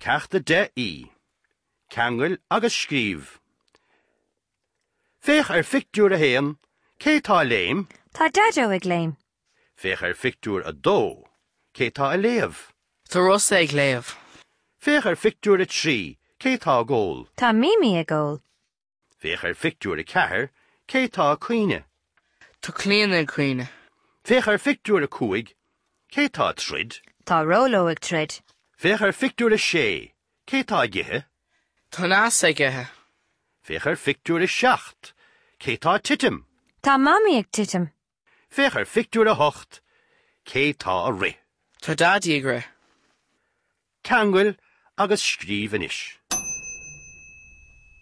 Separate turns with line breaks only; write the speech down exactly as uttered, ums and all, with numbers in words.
Ceacht a deich E. Ceangail agus scríobh. Féach ar phictiúr a haon, cé tá ag léim?
Tá Daideo ag léim.
Féach ar phictiúr a dó, cé tá ag léamh?
Tá Rossa ag léamh.
Féach ar phictiúr a trí, cé tá ag ól?
Tá Mimi ag ól.
Féach ar phictiúr a ceathair, cé tá ag caoineadh?
Tá Clíona ag caoineadh.
Féach ar phictiúr a cúig, cé tá ag troid?
Tá Róló ag troid.
Féach ar phictiúr a sé, cé tá ag ithe?
Tá Neasa ag ithe.
Féach ar phictiúr a seacht, cé tá ag titim?
Tá Mamaí ag titim.
Féach ar phictiúr a hocht, cé tá ag rith?
Tá Daidí ag rith.
Ceangail agus scríobh anois.